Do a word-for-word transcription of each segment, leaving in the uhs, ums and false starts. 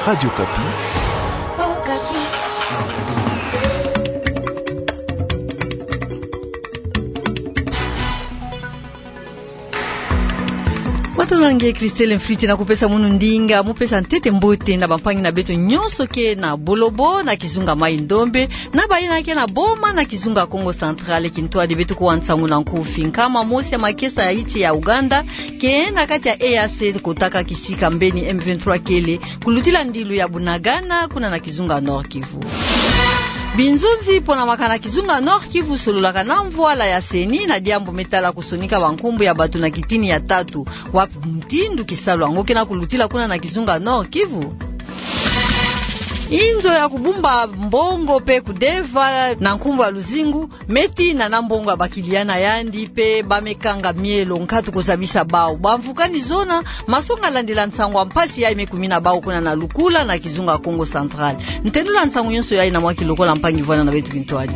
Radio Okapi. Matondo na nge Christelle Mfiti, na kupesa munu ndinga mu pesa ntete mbote na bampangi na beto nyonso ke na Bolobo, na kizunga Maï-Ndombe, na bayina ke na Boma, na kizunga Kongo Central. Kintwadi beto kuwa nsangu na nkufi. Nkama mosi ya makesa ya insi ya Ouganda ke na kati ya E A C kotaka kisika mbeni M vingt-trois kele, kulutila ndilu ya Bunagana, kuna na kizunga Nord-Kivu. Binzonzi pona maka na kizunga Nord-Kivu sololaka na mvwala ya CENI na diambu me tala kusonika bankumbu ya bato na kitini ya tatu. Wapi mutindu kisalu yango ke na kulutila kuna na kizunga Nord-Kivu? Inzo ya kubumba mbongo pe kudeva na nkumbu ya luzingu me tina na mbongo ya bakiliya na yandi, pe ba me kanga mielo nkatu kuzabisa bawu. Bamvukani zona, masonga landila nsangu ya mpasi yayi me kumina bawu kuna na Lukula na kizunga Kongo Central. Ntendula nsangu nyonso yayi na mwa kilokola mpangi vwanda na beto kintwadi.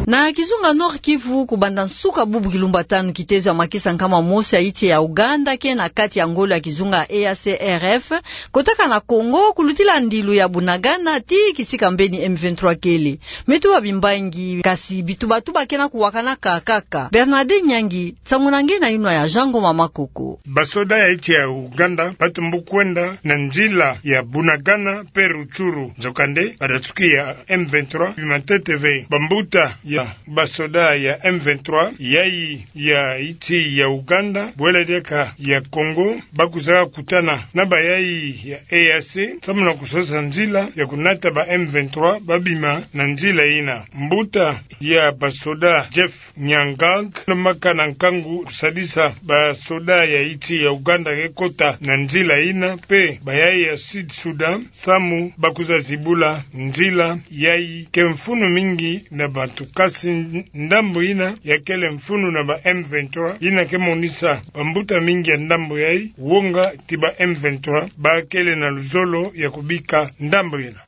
Na kizunga Nord-Kivu, kubanda nsuka bubu kilumbu ya tanu, kitezo ya makesa nkama mosi ya insi ya Ouganda ke na kati ya ngolo ya kizunga E A C R F kotaka na Congo, kulutila ndilu ya Bunagana tii kisika mbeni M vingt-trois kele. Me tuba bimbangi, kasi bitubatuba ke na kuwakana kaka. Bernard Nyangi, nsangu na nge na yinwa ya Jean Ngoma Makoko. Basoda ya insi ya Ouganda batumbu kwenda na nzila ya Bunagana pe Rutshuru. Nzokande, ba dasuki ya M vingt-trois bima ntete ve. Bambuta ya basoda ya M vingt-trois yayi ya insi ya Ouganda, bwela diaka ya Congo, ba kwiza kutana na bayayi ya E A C samu na kusosa nzila ya kunata ba M vingt-trois ba bima na nzila yina. Mbuta ya basoda Jeff Nyangang, lo maka na nkangu kusadisa basoda ya insi ya Ouganda ke kota na nzila yina, pe bayayi ya Sud Soudan, samu ba kwiza zibula nzila yayi. Ke mfunu mingi na bantu, kasi ndambu yina ya kele mfunu na ba M vingt-trois, yina ke monisa bambuta mingi ya ndambu yayi wonga ti ba M vingt-trois ba kele na luzolo ya kubika ndambu yina.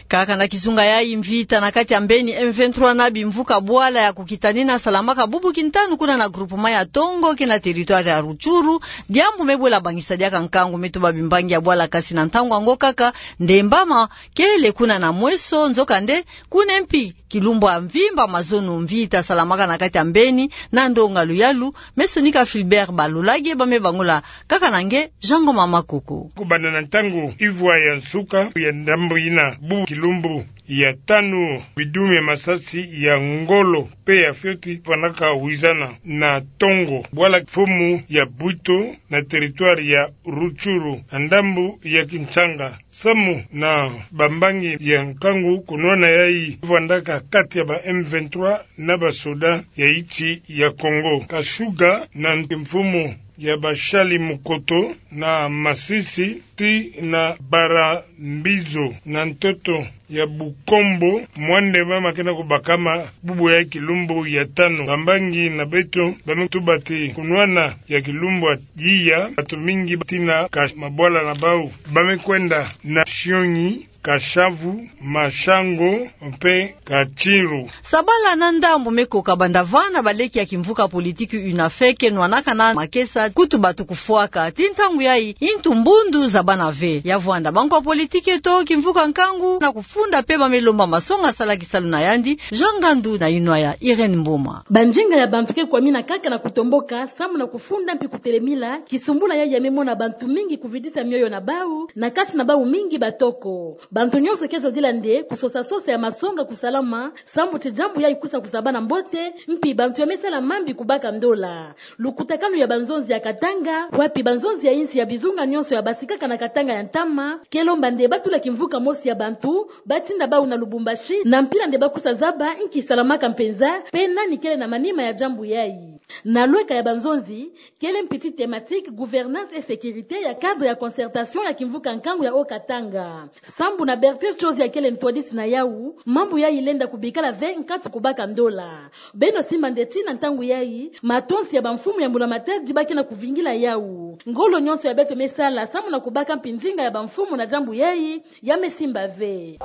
Kaka na kizunga yayi, mvita na kati ya mbeni M vingt-trois na bimvuka bwala ya kukitanina salamaka bubu kintanu kuna na groupement ya Tongo ke na territoire ya Rutshuru, diambu me bwela bangisa diaka nkangu. Me tuba bimbangi ya bwala, kasi na ntangu yango kaka, ndembama kele kuna na mweso. Nzokande, kuna mpi kilumbu ya mvimba mazono mvita salamaka na kati ya mbeni na ndonga luyalu. Me sonika Philbert Balolage, ba me bangula kaka na nge Jean Ngoma Makoko. Kubanda na ntangu ivwa ya nsuka ya ndambu yina, bubu kilumbu ya tanu, bidume masasi ya ngolo pe ya fioti vandaka wizana na Tongo, bwala mfumu ya Bwito na territoire ya Rutshuru na ndambu ya Kinshanga, samu na bambangi ya nkangu kunwana yayi vandaka kati ya ba M vingt-trois na basoda ya insi ya Congo. Kashuga na mfumu ya bashali mukoto na masisi tii na Barambizo na ntoto ya Bukombo, mwande mama ke na kubakama bubu ya kilumbu ya tanu. Bambangi na beto ba me tuba ti kunwana ya kilumbu ya yiya, bantu mingi tii na ka mabwala na bawu ba me kwenda na Shionyi, Kashavu, Mashango mpe Katshiru. Sabala na ndambu me koka banda vana baleki ya kimvuka politiki UNAFEC nwanaka na makesa kutu batu kufwaka. Tii ntangu yayi, intu mbundu zabana ve. Ya vwanda bankwa politiki eto, kimvuka nkangu na kufunda pe ba me lomba masonga sala kisalu na yandi. Jean Ngandu na yinwa ya Irène Mboma. Banzinga ya bantu ke kwamina kaka na kutomboka samu na kufunda mpi kutelemila kisumbula yayi ya me mona bantu mingi kuvidisa mioyo na bawu, na kati na bawu mingi batoko. Bantu nyonso ke zodila nde kusosa sosa ya masonga kusalama, samu ti diambu yayi kwisa kuzabana mbote, mpi bantu ya me sala mambi kubaka ndola. Lukutakanu ya banzonzi ya Katanga, wapi banzonzi ya insi ya bizunga nyonso ya basikaka na Katanga ya ntama, ke lomba nde ba tula kimvuka mosi ya bantu, ba tinda bawu na Lubumbashi, na mpila nde ba kwisa zaba inki salamaka mpenza, pe nani kele na manima ya diambu yayi. Na lweka ya banzonzi, kele mpi ti thématique gouvernance et sécurité ya cadre ya concertation ya kimvuka nkangu ya Haut-Katanga. Sambu na Bertrand Chozi ya kele ntwadisi na yawu, mambu yayi lenda kubikala ve nkatu kubaka ndola. Beno simba nde ti na ntangu yayi, matonsi ya bamfumu ya mbula matadi ba ke na kuvingila yawu. Ngolo nyonso ya beto me sala samu na kubaka mpi nzinga ya bamfumu na diambu yayi, ya me simba ve.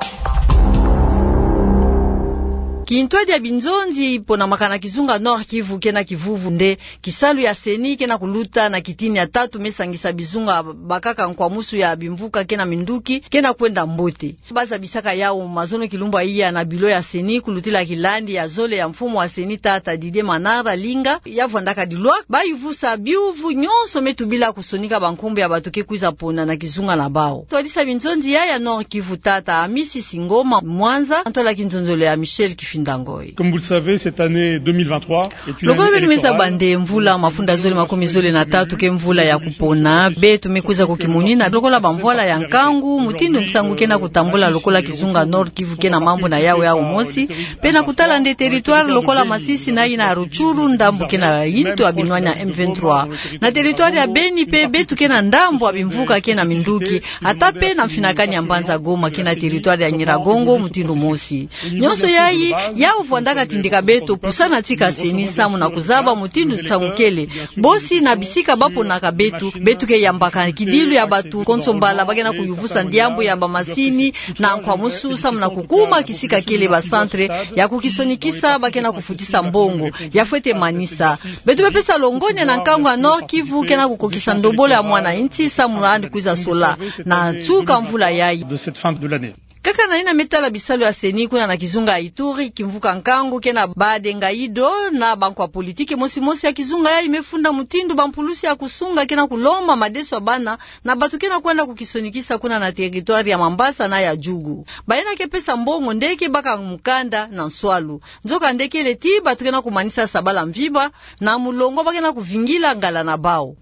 Kintwadi ya binzonzi ponamaka na kizunga Nord-Kivu ke na kivuvu nde kisalu ya CENI ke na kuluta na kitini ya tatu me sangisa bizunga bakaka nkwamusu ya bimvuka ke na minduki ke na kwenda mbote. Bazabisaka yawu mazono kilumbu ya iya na bilo ya CENI kulutila kilandi ya zole ya mfumu wa CENI tata Didier Manara Linga, ya vwandaka dilwaka bayuvusa biuvu nyonso me tubila kusonika bankumbu ya bato ke kwiza pona na kizunga na bawu. Twadisa binzonzi ya ya Nord-Kivu tata Amisi Singoma Mwanza, ntwala kinzonzolo ya Michel Kifinda Ngoy. Comme vous le savez, cette année deux mille vingt-trois est une année électorale. Lokola beno me zaba nde mvula mafunda zole makumi zole na tatu ke mvula ya kupona, beto me kwiza kukimonina lokola bamvwala ya nkangu, mutindu nsangu ke na kutambula lokola kizunga Nord-Kivu ke na mambu na yawu ya umosi, pe na kutala nde territoire lokola Masisi na yina ya Rutshuru, ndambu ke na yintu ya binwani ya M vingt-trois. Na territoire ya Beni pe beto ke na ndambu ya bimvuka ke na minduki, ata pe na mfinakani ya mbanza Goma ke na territoire ya Nyiragongo mutindu mosi. Nyonso yayi, yawu vwandaka tindika beto pusana tika CENI samu na kuzaba mutindu nsangu kele. Bosi na bisika baponaka beto, beto ke yambaka kidilu ya bato konso mbala ba ke na kuyuvusa diambu ya bamasini na nkwamusu samu na kukuma kisika kele bacentre ya kukisonikisa ba ke na kufutisa mbongo. Ya fwete manisa. Beto me pesa longonya na nkangu ya Nord-Kivu ke na kukokisa ndombolo ya mwana insi samu na yandi kwiza sola na nsuka mvula yayi. De cette fin de l'année. Kaka na yina me tala bisalu ya CENI kuna na kizunga ya Ituri, kimvuka nkangu ke na Bade Ngayido na bankwa politiki mosi mosi ya kizunga yayi me funda mutindu bampulusi ya kusunga ke na kulomba madeso ya bana na bato ke na kwenda kukisonikisa kuna na territoire ya Mambasa na ya Djugu. Bayina ke pesa mbongo nde ke baka mukanda na nswalu. Nzoka nde kele ti bato ke na kumanisa sabala mvimba na mulongo ba ke na kuvingila ngala na bawu.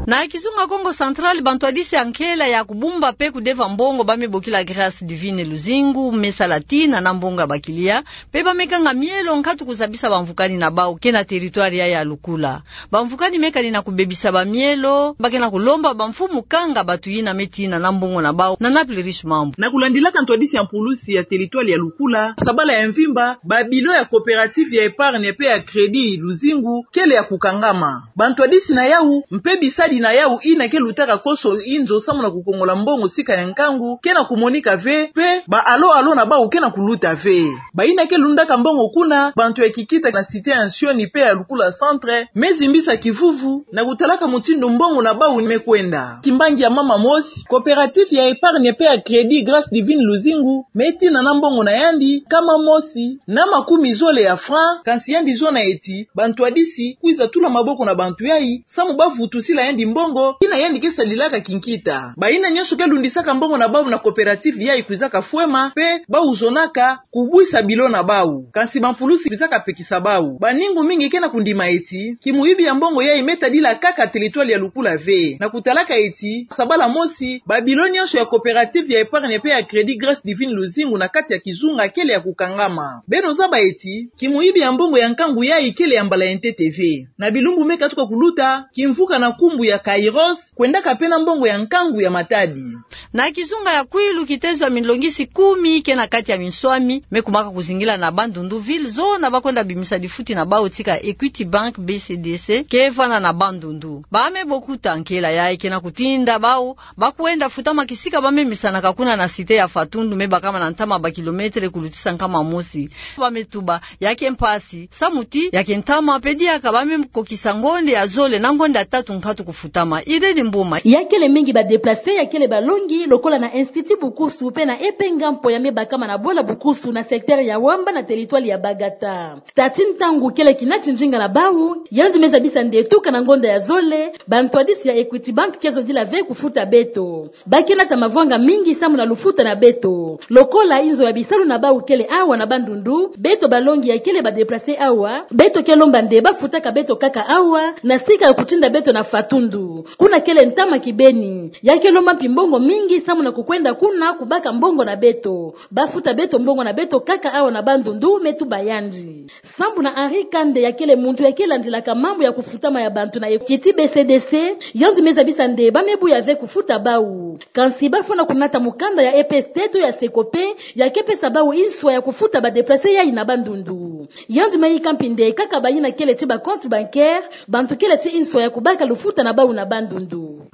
Na kizunga Kongo Central, bantwadisi ya nkela ya kubumba pe kudeva mbongo ba me bokila Grâce Divine Luzingu me sala tina na mbongo ya bakilia, pe ba me kanga mielo nkatu kuzabisa bamvukani na bawu ke na territoire ya ya Lukula. Bamvukani me kani na kubebisa bamielo, ba ke na kulomba bamfumu kanga bato yina me tina na mbongo na bawu. Na Naples Riche Mambu. Na kulandilaka ntwadisi ya mpulusi ya territoire ya Lukula, sabala ya mvimba, babilo ya coopérative ya épargne pe ya crédit Luzingu kele ya kukangama. Bantwadisi na yawu, mpe bisadi na yawu yina ke lutaka konso inzo samu na kukongola mbongo sika ya nkangu, ke na kumonika ve, pe ba alo alo na bawu ke na kuluta ve. Bayina ke lundaka mbongo kuna, bantu ya kikita na cité ya Nsioni pe ya Lukula Centre, me zimbisa kivuvu na kutalaka mutindu mbongo na bawu me kwenda. Kimbangi ya mama mosi, coopérative ya épargne pe ya crédit Grâce Divine Luzingu, me tina na mbongo na yandi nkama mosi na makumi zole ya franc, kansi yandi zona eti bantwadisi kwiza tula maboko na bantu yayi, samu ba vutusila yandi mbongo yina yandi ke salilaka kinkita. Bayina nyonso ke lundisaka mbongo na bawu na coopérative yayi kwizaka fwema, pe bawu zonaka kubwisa bilo na bawu. Kansi bampulusi kwizaka pekisa bawu. Baningu mingi ke na kundima eti kimuyibi ya mbongo yayi me tadila kaka territoire ya Lukula ve. Na kutalaka eti sabala mosi, babilo nyonso ya coopérative ya épargne pe ya crédit Grâce Divine Luzingu na kati ya kizunga kele ya kukangama. Beno zaba eti kimuyibi ya mbongo ya nkangu yayi kele ya mbala ya ntete ve. Na bilumbu me katuka kuluta, kimvuka na nkumbu ya Kairos kwendaka pe na mbongo ya nkangu ya Matadi. Na kizunga ya Kwilu, kitezo ya milongisi kumi ke na kati ya minswami me kumaka kuzingila na Bandundu ville, zona ba kwenda bimisa difuti na bawu tika Equity Bank B C D C ke vanda na Bandundu. Ba me bokuta nkela yayi ke na kutinda bawu ba kwenda futama kisika ba me misanaka kuna na cité ya Fatundu, me bakama na ntama ba kilomètre kulutisa nkama mosi. Ba me tuba ya ke mpasi, samu ti ya ke ntama pe diaka ba me kokisa ngonde ya zole na ngonde ya tatu nkatu kufutama. Irène Mboma. Ya kele mingi ba déplacés, ya kele balongi, lokola na Institut Bukusu pe na E P Ngampo ya me bakama na Bwala Bukusu na secteur ya Wamba na territoire ya Bagata. Tâ ti ntangu kele kina ti ndinga na bawu, yandi me zabisa nde tuka na ngonda ya zole, bantwadisi ya Equity Bank ke zodila ve kufuta beto. Ba ke nata mavwanga mingi samu na lufuta na beto. Lokola inzo ya bisalu na bawu kele awa na Bandundu, beto balongi ya kele ba déplacés awa, beto ke lomba nde ba futaka beto kaka awa, na sika ya kutinda beto na Fatundu. Kuna kele ntama kibeni. Ya ke lomba mpi mbongo mingi samu na kukwenda kuna kubaka mbongo na beto. Ba futa beto mbongo na beto kaka awa na Bandundu, me tuba yandi. Sambu na Henri Kande, ya kele muntu ya ke landilaka mambu ya kufutama ya bantu na Equity B C D C, yandi me zabisa nde ba me buya ve kufuta bawu. Kansi ba fwana kunata mukanda ya E P S T to ya Secope, ya ke pesa bawu inswa ya kufuta ba déplacés yayi na Bandundu. Yandi me yika mpi nde kaka bayina kele ti ba compte bancaire, bantu kele ti inswa ya kubaka lufuta na bawu na Bandundu.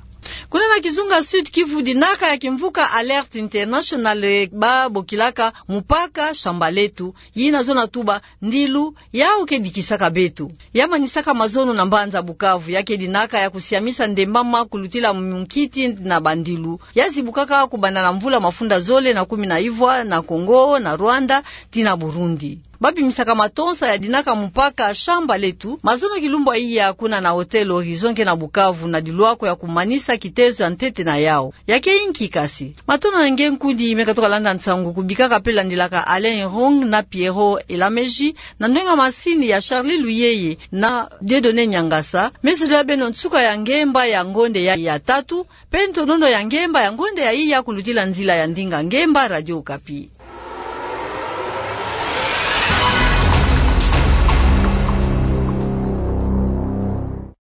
Kuna na kizunga Sud-Kivu, dinaka ya kimvuka Alerte International, eh, babokilaka Mupaka Shamba Letu, yina zona tuba ndilu yau ke dikisaka beto. Ya manisaka mazono na mbanza Bukavu, ya ke dinaka ya kusiamisa ndembama kulutila munkiti na bandilu ya zibukaka kubanda na mvula mafunda zole na kumi na ivwa na Kongo, na Rwanda, tii na Burundi. Babimisaka matonsa ya dinaka Mupaka Shamba Letu mazono kilumbu ya iya kuna na Hotel Horizon ke na Bukavu, na dilwako ya kumanisa kitezo ya ntete na yau. Ya ke inki kasi? Matondo na nge nkudi me katuka landa nsangu, kubika ka pe landilaka Alain Irung na Pierrot Elameji, na ndwenga masini ya Charlie Luyeye na Dieudonné Niangasa. Me zolila beno nsuka ya ngemba ya ngonde ya, ya tatu, pe ntonono ya ngemba ya ngonde ya iya kulutila nzila ya ndinga ngemba Radio Okapi.